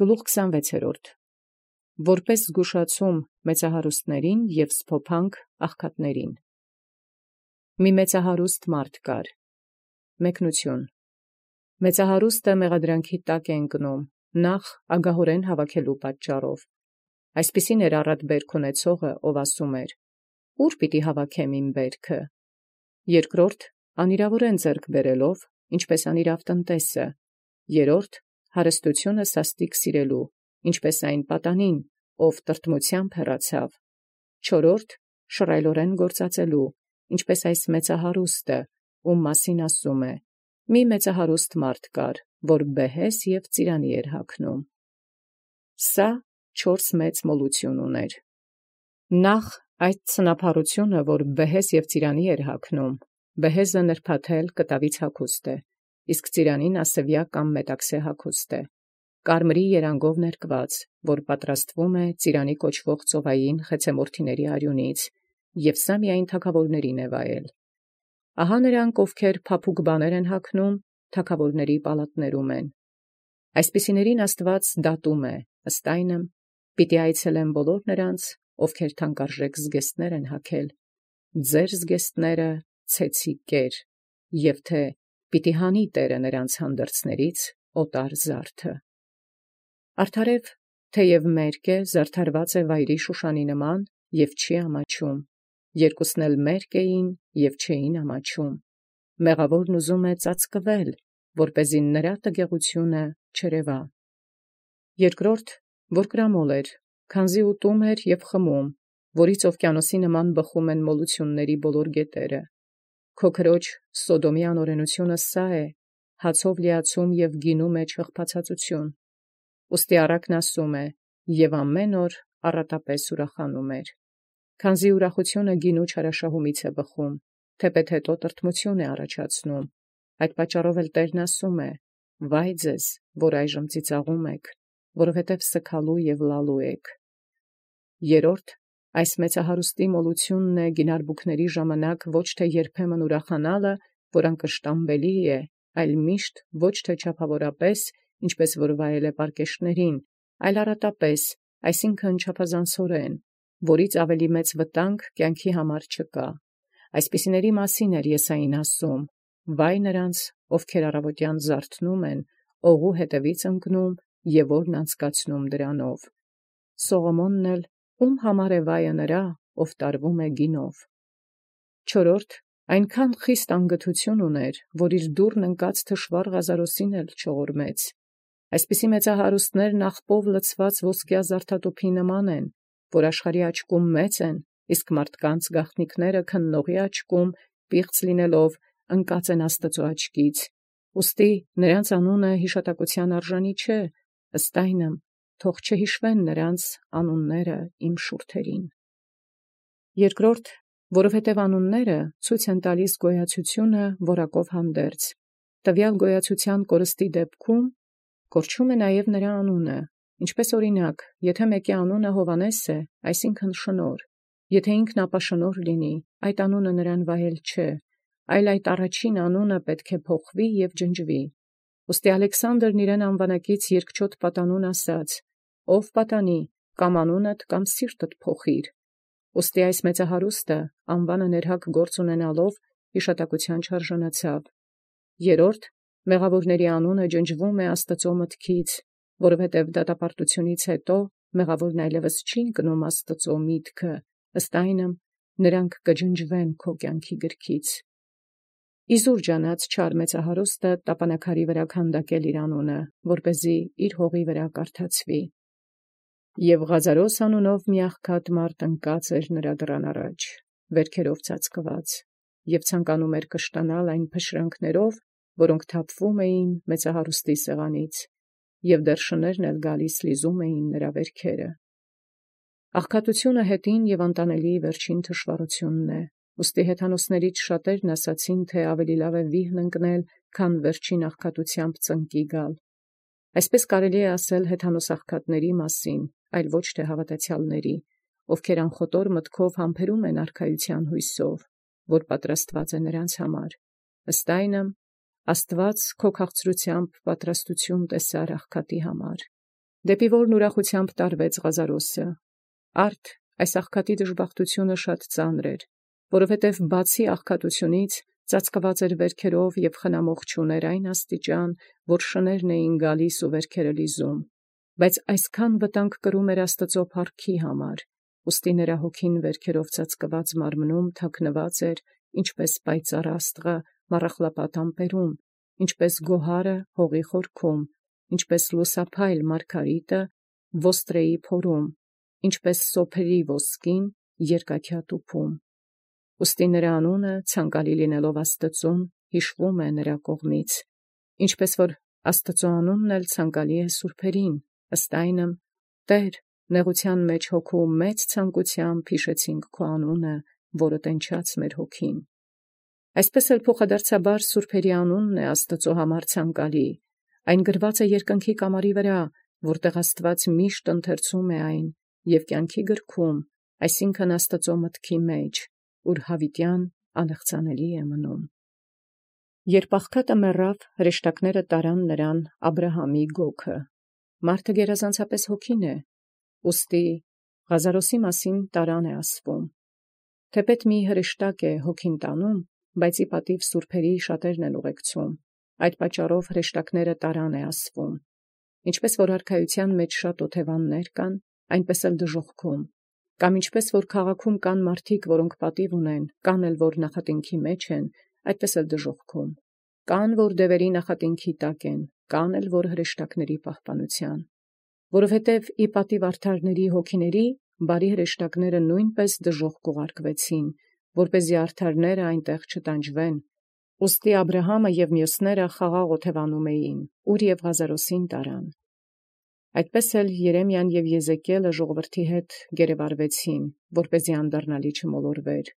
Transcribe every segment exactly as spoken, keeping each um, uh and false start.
Գլուխ քսանվեցերորդ. Որպես զգուշացում մեծահարուստացն և սփոփանք աղքատացն։ Մի մեծահարուստ մարդ կար. մեկնություն. մեծահարուստը մեղադրանքի տակ է ընկնում, նախ ագահորեն հավաքելու պատճառով։ Այսպիսին էր առատ բերք ունեցողը, ով ասում էր. «Ո՞ւր պիտի հավաքեմ իմ բերքը»։ Երկրորդ, անիրաւորեն ձեռք բերելով, ինչպես անիրաւ տնտեսը։ Երրորդ, հարստությունը սաստիկ սիրելու, ինչպես այն պատանին, ով տրտմութեամբ հեռացավ։ Չորրորդ, շռայլորեն գործածելու, ինչպես այս մեծահարուստը, ում մասին ասում է. մի մեծահարուստ մարդ կար, որ բեհես և ծիրանի էր հագնում։ Սա չորս մեծ մոլութիւն ուներ։ Նախ այդ ցնափառությունը, որ բեհես և ծիրանի էր հագնում, բեհեզը նրբաթել կտավից հագուստ է, իսկ ծիրանին ասևյա կամ մետաքսե հագուստ է, կարմրի երանգով ներկված, որ պատրաստվում է ծիրանի կոչվող ծովային խեցեմորթիների արյունից, և սա միայն թագավորներին է վայել։ Ահա նրանք, ովքեր փափուկ բաներ են հագնում, թագավորների պալատներում են։ Այսպիսիներին Աստուած դատում է, ըստ այնմ, պիտի այցելեմ բոլոր նրանց, ովքեր թանկարժեք զգեստներ են հագել, ձեր զգեստները ցեցի կեր, և թե պիտի հանի Տէրը նրանց հանդերձներից օտար զարդը։ Արդարև թեև մերկ է, զարդարված է վայրի Շուշանի նման և չի ամաչում, երկուսն էլ մերկ էին և չէին ամաչում։ Մեղավորն ուզում է ծածկվել, որպեսզի նրա տգեղությունը չերևայ։ Երկրորդ, որ կրամոլ էր, քանզի ուտում էր և խմում, որից օվկիանոսի նման բխում են մոլութիւնների բոլոր գետերը։ Քո քրոջ Սոդոմի անօրենութիւնը սա է, հացով լիացում և գինու մեջ հղբացածություն։ Ուստի առակն ասում է. և ամեն օր առատապես ուրախանում էր։ Քանզի ուրախությունը գինու չարաշահումից է բխում, թեպետ հետո տրտմութիւն է առաջացնում, այդ պատճառով էլ Տէրն ասում է. վայ ձեզ, որ այժմ ծիծաղում եք, որովհետև սգալու և լալու եք։ Երրորդ, այս մեծահարուստի մոլութիւնն է գինարբուքների ժամանակ ոչ թե երբեմն ուրախանալը, որ անկշտամբելի է, այլ միշտ ոչ թե չափավորապես, ինչպես որ վայել է պարկեշտներին, այլ առատապես, այսինքն չափազանցորեն, որից ավելի մեծ վտանգ կյանքի համար չկա։ Այսպիսիների մասին էր Եսային ասում. վայ նրանց, ովքեր առավոտյան զարթնում են, օղու հետևից ընկնում և օրն անցկացնում դրանով։ Սողոմոնն էլ, ո՞ւմ համար է վայը նրա, ով տարվում է գինով։ Չորրորդ, այնքան խիստ անգթութիւն ուներ, որ իր դուռն ընկած թշուառ Ղազարոսին էլ չողորմեց։ Այսպիսի մեծահարուստներն աղպով լցված ոսկյա զարդատուփի նման են, որ աշխարհի աչքում մեծ են, իսկ մարդկանց գաղտնիքները քննողի աչքում, պիղծ լինելով, ընկած են Աստուծոյ աչքից։ Ուստի նրանց անունը յիշատակութեան արժանի չէ, ըստ այնմ, թող չհիշվեն նրանց անունները իմ շուրթերին։ Երկրորդ, որովհետև անունները ցույց են տալիս գոյացությունը որակով հանդերձ, տվյալ գոյացութեան կորստի դեպքում կորչում է նաև նրա անունը, ինչպես օրինակ, եթե մեկի անունը Հովհաննես է, այսինքն շնորհ, եթե ինքն ապաշնորհ լինի, այդ անունը նրան վայել չէ, այլ այդ առաջին անունը պետք է փոխվի և ջնջվի։ Ուստի Ալեքսանդրն իրեն անվանակից երկչոտ պատանուն ասաց. «Ով պատանի, կամ անունդ կամ սիրտդ փոխիր»։ Ուստի այս մեծահարուստը անվանը ներհակ գործ ունենալով յիշատակութեան չարժանացավ։ Երրորդ, մեղավորների անունը ջնջվում է Աստուծոյ մտքից, որովհետև դատապարտութիւնից հետո մեղավորն այլևս չի ընկնում Աստուծոյ միտքը, ըստ այնմ, նրանք կջնջվեն քո կյանքի գրքից։ Իզուր ջանած չար մեծահարուստը տապանաքարի վրա քանդակել իր անունը, որպեսզի իր հողի վրա կարդացվի։ Եւ Ղազարոս անունով մի աղքատ մարդ ընկած էր նրա դռան առաջ, վերքերով ծածկված, եւ ցանկանում էր կշտանալ այն փշրանքներով, որոնք թափվում էին մեծահարուստի սեղանից, եւ դեռ շներն էլ գալիս լիզում էին նրա վերքերը։ Աղքատությունը հետին եւ անտանելի վերջին թշվառությունն է, ուստի հեթանոսներից շատերն ասացին, թե ավելի լավ է վիհն ընկնել, քան վերջին աղքատութեամբ ծնկի գալ։ Այսպես կարելի է ասել հեթանոս աղքատների մասին, այլ ոչ թե հավատացյալների, ովքեր անխոտոր մտքով համբերում են արքայութեան հույսով, որ պատրաստված է նրանց համար։ Ըստ այնմ, Աստուած քո քաղցրութեամբ պատրաստություն տեսար աղքատի համար։ դեպի որն ուրախութեամբ տարվեց Ղազարոսը։ Արդ այս աղքատի դժբախտությունը շատ ծանր էր, որովհետև բացի աղքատությունից ծածկված էր վերքերով և խնամող չուներ այն աստիճան, որ շներն էին գալիս ու վերքերը լիզում, բայց այսքան վտանգ կրում էր Աստծո փառքի համար, ուստի նրա հոգին վերքերով ծածկված մարմնում թաքնված էր, ինչպես պայծառ աստղը մառախլապատ ամպերում, ինչպես գոհարը հողի խորքում, ինչպես լուսափայլ մարգարիտը ոստրեի փորում, ինչպես սոփերի ոսկին երկաթյա տուփում։ Ուստի նրա անունը ցանկալի լինելով Աստծուն հիշվում է նրա կողմից, ինչպես որ Աստծո անունն էլ ցանկալի է սուրբերին, ըստ այնմ, Տեր, նեղության մեջ հոգու մեծ ցանկությամբ հիշեցինք քո անունը, որը տենչաց մեր հոգին։ Այսպես էլ փոխադարձաբար սուրբերի անունն է Աստծո համար ցանկալի, այն գրված է երկնքի կամարի վրա, որտեղ Աստված միշտ ընթերցում է այն, և կյանքի գրքում, այսինքն Աստծո մտքի մեջ, ուր հավիտյան անեղծանելի է մնում։ Երբ աղքատը մեռավ, հրեշտակները տարան նրան Աբրահամի գոգը։ Մարդը գերազանցապես հոգին է, ուստի Ղազարոսի մասին տարան է ասվում։ Թեպետ մի հրեշտակ է հոգին տանում, բայց ի պատիվ սուրբերի շատերն են ուղեկցում, այդ պատճառով հրեշտակները տարան է ասվում։ Ինչպես որ արքայության մեջ շատ օթևաններ կան, այնպես էլ դժոխքում, կամ ինչպես որ քաղաքում կան մարդիկ, որոնք պատիվ ունեն, կան էլ որ նախատինքի մեջ են, այդպես էլ դժոխքում, կան որ դևերի նախատինքի տակ են, կան էլ որ հրեշտակների պահպանության, որովհետև ի պատիվ արդարների հոգիների բարի հրեշտակները նույնպես դժոխք ուղարկվեցին, որպեսզի արդարները այնտեղ չտանջվեն։ Ուստի Աբրահամը և մյուսները խաղաղ օթևանում էին, ուր և Ղազարոսին տարան։ Այդպես էլ Երեմիան և Եզեկիելը ժողովրդի հետ գերեվարվեցին, որպեսզի անդառնալի չմոլորվեր։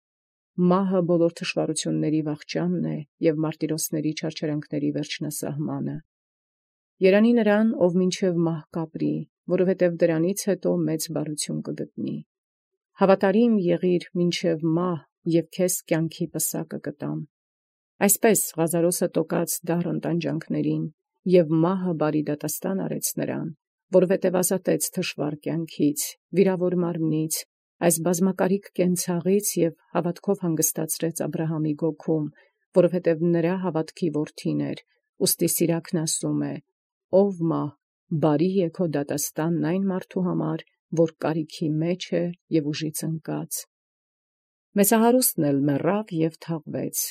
Մահը բոլոր թշվառությունների վախճանն է և մարտիրոսների չարչարանքների վերջնասահմանը։ Երանի նրան, ով մինչև մահ կապրի, որովհետև դրանից հետո մեծ բարություն կգտնի։ Հավատարիմ եղիր մինչև մահ, և քեզ կյանքի պսակը կտամ։ Այսպես Ղազարոսը տոկած դառն տանջանքներին, և մահը բարի դատաստան արեց նրան, որովհետև ազատեց թշվառ կյանքից, վիրավոր մարմնից, այս բազմակարիք կենցաղից և հավատքով հանգստացրեց Աբրահամի գոգում, որովհետև նրա հավատքի որդին էր, ուստի Սիրաքն ասում է. «Ով մահ, բարի է քո դատաստանն այն մարդու համար, որ կարիքի մեջ է և ուժից ընկած»։ Մեծահարուստն էլ մեռավ և թաղվեց։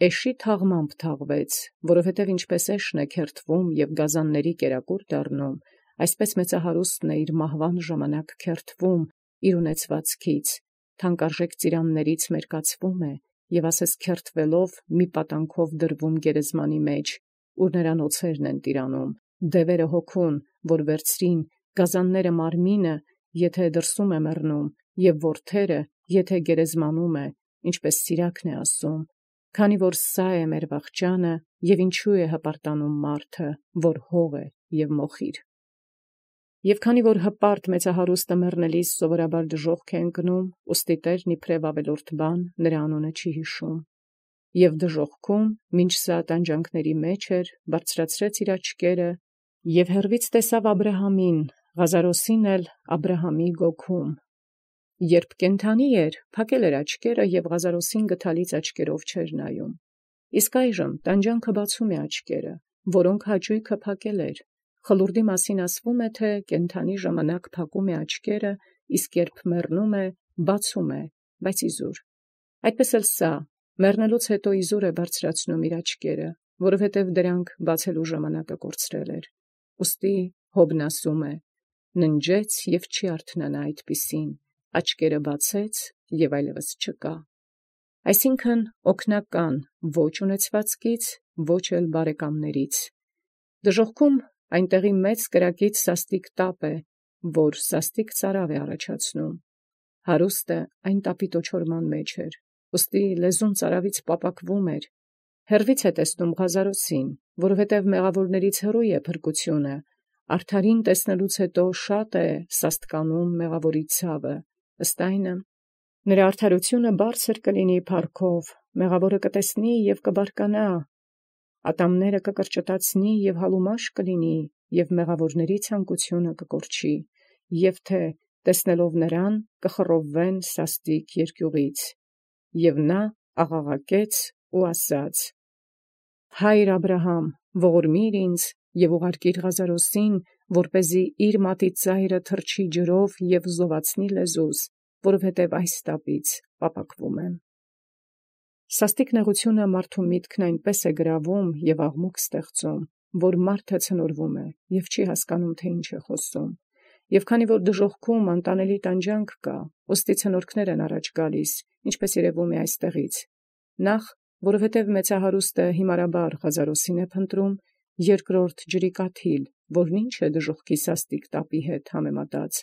Էշի թաղմամբ թաղվեց, որովհետև ինչպես էշն է քերթվում և գազանների կերակուր դառնում, այսպես մեծահարուստն է իր մահվան ժամանակ քերթվում իր ունեցվածքից, թանկարժեք ծիրաններից մերկացվում է և ասես քերթվելով մի պատանքով դրվում գերեզմանի մեջ, ուր նրան օձերն են տիրանում, դևերը հոգուն, որ վերցրին, գազանները մարմինը, եթե դրսում է մեռնում, և որդերը, եթե գերեզմանում է, ինչպես Սիրաքն է ասում, քանի որ սա է մեր վախճանը, և ինչու է հպարտանում մարդը, որ հող է և մոխիր։ Եվ քանի որ հպարտ մեծահարուստը մեռնելիս սովորաբար դժոխք է ընկնում, ուստի Տերն իբրև ավելորդ բան նրա անունը չի հիշում։ Եվ դժոխքում, մինչ սա տանջանքների մեջ էր, բարձրացրեց իր աչքերը և հեռվից տեսավ Աբրահամին, Ղազարոսին էլ Աբրահամի գոգում։ Երբ կենդանի էր, փակել էր աչքերը և Ղազարոսին գթալից աչքերով չէր նայում։ Իսկ այժմ տանջանքը բացում է աչքերը, որոնք հաճույքը փակել էր։ Խլուրդի մասին ասվում է, թե կենդանի ժամանակ փակում է աչքերը, իսկ երբ մեռնում է, բացում է, բայց իզուր։ Այդպես էլ սա, մեռնելուց հետո իզուր է բարձրացնում իր աչքերը, որովհետև դրանք բացելու ժամանակը կորցրել էր։ Ուստի Հոբն ասում է. «Ննջեց և չի արթնանա այդպիսին, աչքերը բացեց և այլևս չկա»։ Այսինքն օգնական ոչ ունեցվածքից, ոչ էլ բարեկամներից։ Դժոխքում այնտեղի մեծ կրակից սաստիկ տապ է, որ սաստիկ ծարավ է առաջացնում։ Հարուստը այն տապի տոչորման մեջ էր, ուստի լեզուն ծարավից պապակվում էր։ Հեռվից է տեսնում Ղազարոսին, որովհետև մեղավորներից հեռու է փրկությունը, արդարին տեսնելուց հետո շատ է սաստկանում մեղավորի ցավը, ըստ այնմ, նրա արդարությունը բարձր կլինի փառքով, մեղավորը կտեսնի և կբարկանա, ատամները կկրճտացնի և հալումաշ կլինի, և մեղավորների ցանկությունը կկորչի, և թե տեսնելով նրան կխռովվեն սաստիկ երկյուղից։ Եվ նա աղաղակեց ու ասաց. «Հայր Աբրահամ, ողորմիր ինձ և ուղարկիր Ղազարոսին, որպեսզի իր մատից ծայրը թրջի ջրով և զովացնի լեզուս, որովհետև այս տապից պապակվում եմ»։ Սաստիկ նեղությունը մարդու միտքն այնպես է գրավում և աղմուկ ստեղծում, որ մարդը ցնորվում է և չի հասկանում, թե ինչ է խոսում։ Եվ քանի որ դժոխքում անտանելի տանջանք կա, ուստի ցնորքներ են առաջ գալիս, ինչպես երևում է այստեղից։ Նախ, որովհետև մեծահարուստը հիմարաբար Ղազարոսին է փնտրում, երկրորդ ջրի կաթիլ, որն ինչ է դժոխքի սաստիկ տապի հետ համեմատած,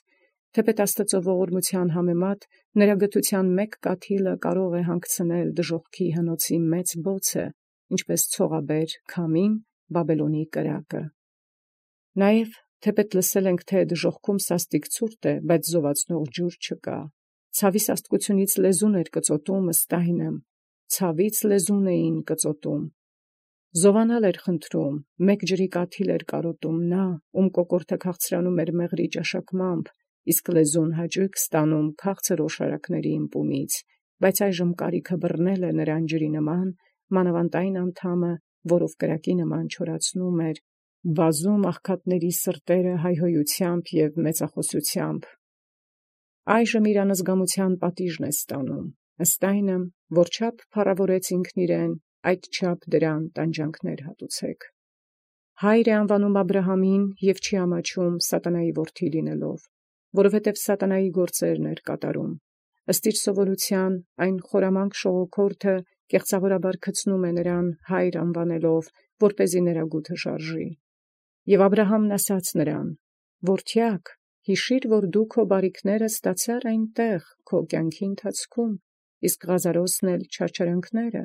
թեպետ Աստծո ողորմության համեմատ նրա գթության մեկ կաթիլը կարող է հանգցնել դժոխքի հնոցի մեծ բոցը, ինչպես ցողաբեր քամին Բաբելոնի կրակը։ Նաև, թեպետ լսել ենք, թե դժոխքում սաստիկ ցուրտ է, բայց զովացնող ջուր չկա։ Ցավի սաստկությունից լեզուն էր կծոտում ըստ այնմ, ցավից լեզուն էին կծոտում։ Զովանալ էր խնդրում, մեկ ջրի կաթիլ էր կարոտում նա, ում կոկորդը քաղցրանում էր մեղրի ճաշակմամբ, իսկ լեզուն հաճույք ստանում քաղցր օշարակների ըմպումից, բայց այժմ կարիքը բռնել է նրան ջրի նման, մանավանդ այն անդամը, որով կրակի նման չորացնում էր, վազում աղքատների սրտերը հայհոյությամբ և մեծախոսությամբ։ Այժմ իր անզգամության պատիժն է ստանում, ըստ այնմ, որչափ փառավորեց ինքն իրեն, այդչափ դրան տանջանքներ հատուցեք։ Հայր է անվանում Աբրահամին և չի ամաչում սատանայի որդի լինելով, որովհետև սատանայի գործերն էր կատարում։ Ըստ իր սովորության, այն խորամանկ շողոքորթը կեղծավորաբար գցնում է նրան հայր անվանելով, որպեսզի նրա գութը շարժի։ Եվ Աբրահամն ասաց նրան. «Որդյակ, հիշիր, որ դու քո բարիքները ստացար այնտեղ քո կյանքի ընթացքում, իսկ Ղազարոսն էլ չարչարանքները,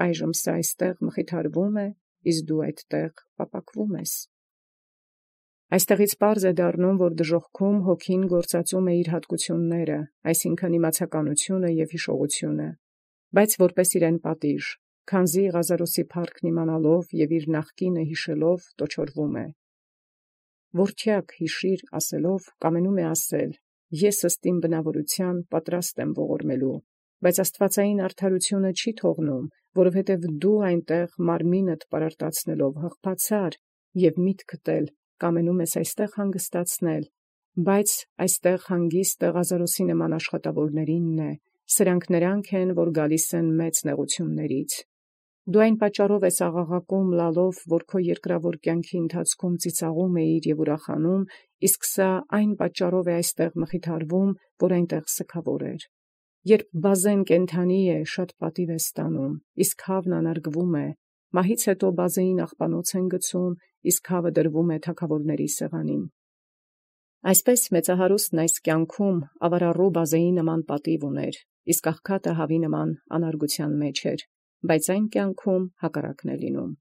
այժմ սա այստեղ մխիթարվում է, իսկ դու այդտեղ պապակվում ես»։ Այստեղից պարզ է դառնում, որ դժոխքում հոգին գործածում է իր հատկությունները, այսինքն իմացականությունը և հիշողությունը, բայց որպես իրեն պատիժ, քանզի Ղազարոսի փառքն իմանալով և իր նախկինը հիշելով տոչորվում է։ Որդյակ հիշիր ասելով, կամենում է ասել. ես ըստ իմ բնավորության պատրաստ եմ ողորմելու, բայց աստվածային արդարությունը չի թողնում, որովհետև դու այնտեղ մարմինդ պարարտացնելով հղբացար և միտքդ էլ կամենում ես այստեղ հանգստացնել, բայց այստեղ հանգիստը Ղազարոսի նման աշխատավորներինն է, սրանք նրանք են, որ գալիս են մեծ նեղություններից։ Դու այն պատճառով ես աղաղակում լալով, որ քո երկրավոր կյանքի ընթացքում ծիծաղում էիր և ուրախանում, իսկ սա այն պատճառով է այստեղ մխիթարվում, որ այնտեղ սգավոր էր։ Երբ բազեն կենդանի է, շատ պատիվ է ստանում, իսկ հավն անարգվում է, մահից հետո բազեին աղբանոց են գցում, իսկ հավը դրվում է թագավորների սեղանին։ Այսպես մեծահարուստն այս կյանքում ավարառու բազեի նման պատիվ ուներ, իսկ աղքատը հավի նման անարգության մեջ էր, բայց այն կյանքում հակառակն է լինում։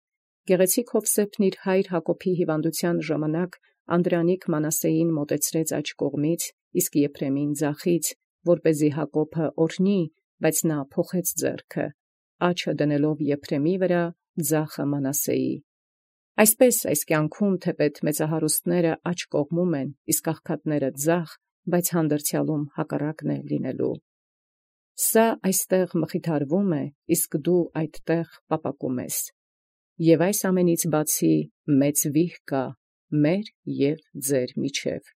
Գեղեցիկ Հովսեփն իր հայր Հակոբի հիվանդության ժամանակ Անդրանիկ Մանասեին մոտեցրեց աջ կողմից, իսկ Եփրեմին ձախից, որպեսզի Հակոբը օրհնի, բայց նա փոխեց ձեռքը, աջը դնելով Եփրեմի վրա, ձախը Մանասեի։ Այսպես այս կյանքում թեպետ մեծահարուստները աջ կողմում են, իսկ աղքատները ձախ, բայց հանդերձյալում հակառակն է լինելու։ Սա այստեղ մխիթարվում է, իսկ դու այդտեղ պապակում ես։ Եվ այս ամենից բացի մեծ վիհ կա մեր և ձեր միջև։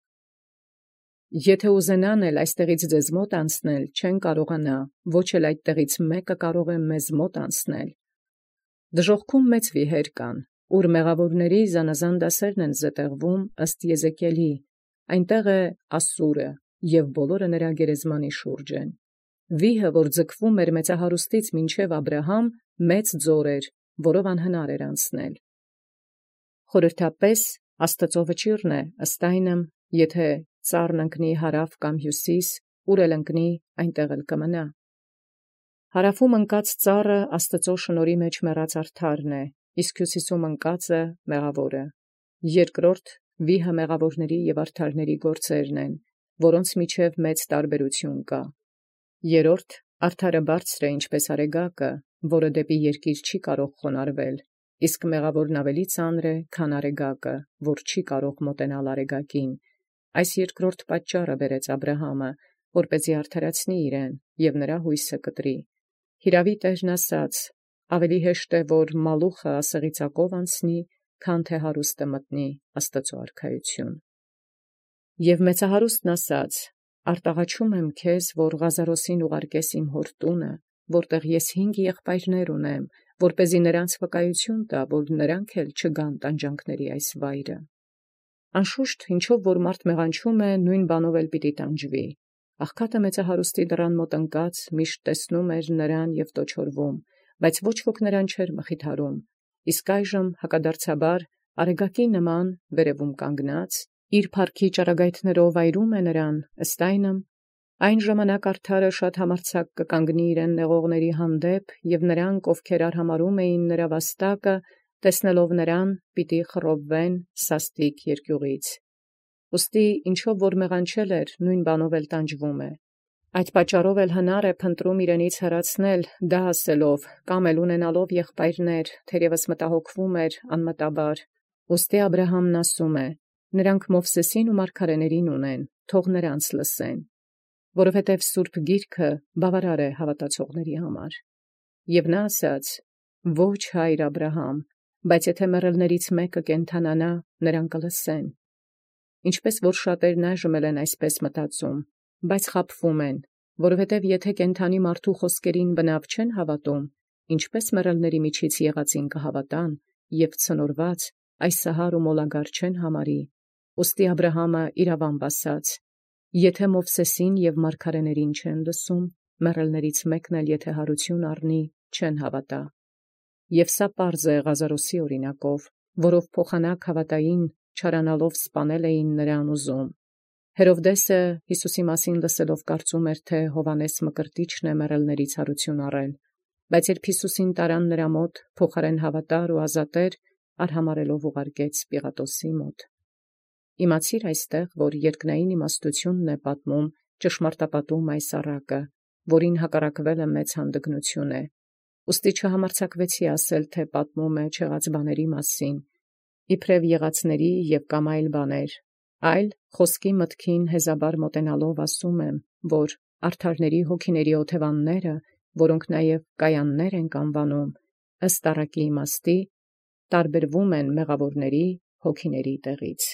Եթե ուզենան էլ այստեղից ձեզ մոտ անցնել, չեն կարողանա, ոչ էլ այդտեղից մեկը կարող է մեզ մոտ անցնել։ Դժոխքում մեծ վիհեր կան, ուր մեղավորների զանազան դասերն են զետեղվում ըստ Եզեկիելի, այնտեղ է Ասուրը, և բոլորը նրա գերեզմանի շուրջ են։ Վիհը, որ ձգվում էր մեծահարուստից մինչև Աբրահամ, մեծ ձոր էր, որով անհնար էր անցնել։ Խորհրդապես Աստծո վճիռն է, ըստ այնմ, եթե ծառն ընկնի հարավ կամ հյուսիս, ուր էլ ընկնի, այնտեղ էլ կմնա։ Հարավում ընկած ծառը Աստծո շնորհի մեջ մեռած արդարն է, իսկ հյուսիսում ընկածը մեղավորը։ Երկրորդ վիհը մեղավորների և արդարների գործերն են, որոնց միջև մեծ տարբերություն կա։ Երրորդ արդարը բարձր է, ինչպես արեգակը, որը դեպի երկիր չի կարող խոնարհվել, իսկ մեղավորն ավելի ծանր է, քան արեգակը, որ չի կարող մոտենալ արեգակին։ Այս երկրորդ պատճառը բերեց Աբրահամը, որպեսզի արդարացնի իրեն, և նրա հույսը կտրի։ Հիրավի Տերն ասաց. ավելի հեշտ է, որ մալուխը ասեղի ծակով անցնի, քան թե հարուստը մտնի Աստուծոյ արքայություն։ Եւ մեծահարուստն ասաց. արտաղաչում եմ քեզ, որ Ղազարոսին ուղարկես իմ հոր տունը, որտեղ ես հինգ եղբայրներ ունեմ, որպեսզի նրանց վկայություն տա, որ նրանք էլ չգան տանջանքների այս վայրը։ Անշուշտ, ինչով որ մարդ մեղանչում է, նույն բանով էլ պիտի տանջվի։ Աղքատը մեծահարուստի դռան մոտ ընկած միշտ տեսնում էր նրան եւ տոչորվում, բայց ոչ ոք նրան չէր մխիթարում։ Իսկ այժմ հակադարձաբար արեգակի նման վերևում կանգնած, իր փառքի ճառագայթներով վայրում է նրան, ըստ այնմ, այն ժամանակ արդարը շատ համարձակ կկանգնի իրեն նեղողների հանդեպ, եւ նրանք, ովքեր արհամարհում էին նրա վաստակը, տեսնելով նրան, պիտի խռովվեն սաստիկ երկյուղից։ Ուստի ինչով որ մեղանչել էր, նույն բանով էլ տանջվում է։ Այդ պատճառով էլ հնար է փնտրում իրենից հեռացնել, դա ասելով, կամ էլ ունենալով եղբայրներ, թերևս մտահոգվում էր անմտաբար։ Ուստի Աբրահամն ասում է. նրանք Մովսեսին ու մարգարեներին ունեն, թող նրանց լսեն, որովհետև Սուրբ Գիրքը բավարար է հավատացողների համար։ Եւ նա ասաց. ոչ հայր Աբրահամ, բայց եթե մեռելներից մեկը կենթանանա, նրանք կլսեն։ Ինչպես որ շատերն այժմ են այսպես մտածում, բայց խաբվում են, որովհետև եթե կենթանի մարդու խոսքերին բնավ չեն հավատում, ինչպես մեռելների միջից եղածին կհավատան և ցնորված այս սահար ու մոլագար չեն համարի։ Ուստի Աբրահամը իրավամբ ասաց. եթե Մովսեսին և մարգարեներին չեն լսում, մեռելներից մեկն էլ եթե հարություն առնի, չեն հավատա։ Եվ սա պարզ է Ղազարոսի օրինակով, որով փոխանակ հավատային չարանալով սպանել էին նրան ուզում։ Հերովդեսը Յիսուսի մասին լսելով կարծում էր, թե Հովհաննես Մկրտիչն է մեռելներից հարություն առել, բայց երբ Յիսուսին տարան նրա մոտ, փոխարեն հավատար ու ազատեր, արհամարելով ուղարկեց Պիղատոսի մոտ։ Իմացիր այստեղ, որ երկնային իմաստությունն է պատմում ճշմարտապատում այս առակը, որին հակառակվել է մեծ հանդգնություն է։ Ուստի չհամարձակվեցի ասել, թե պատմում է չեղած բաների մասին, իբրև եղածների և կամ այլ բաներ, այլ խոսքի մտքին հեզաբար մոտենալով ասում եմ, որ արդարների հոգիների օթևանները, որոնք նաև կայաններ ենք անվանում, ըստ առակի իմաստի, տարբերվում են մեղավորների հոգիների տեղից։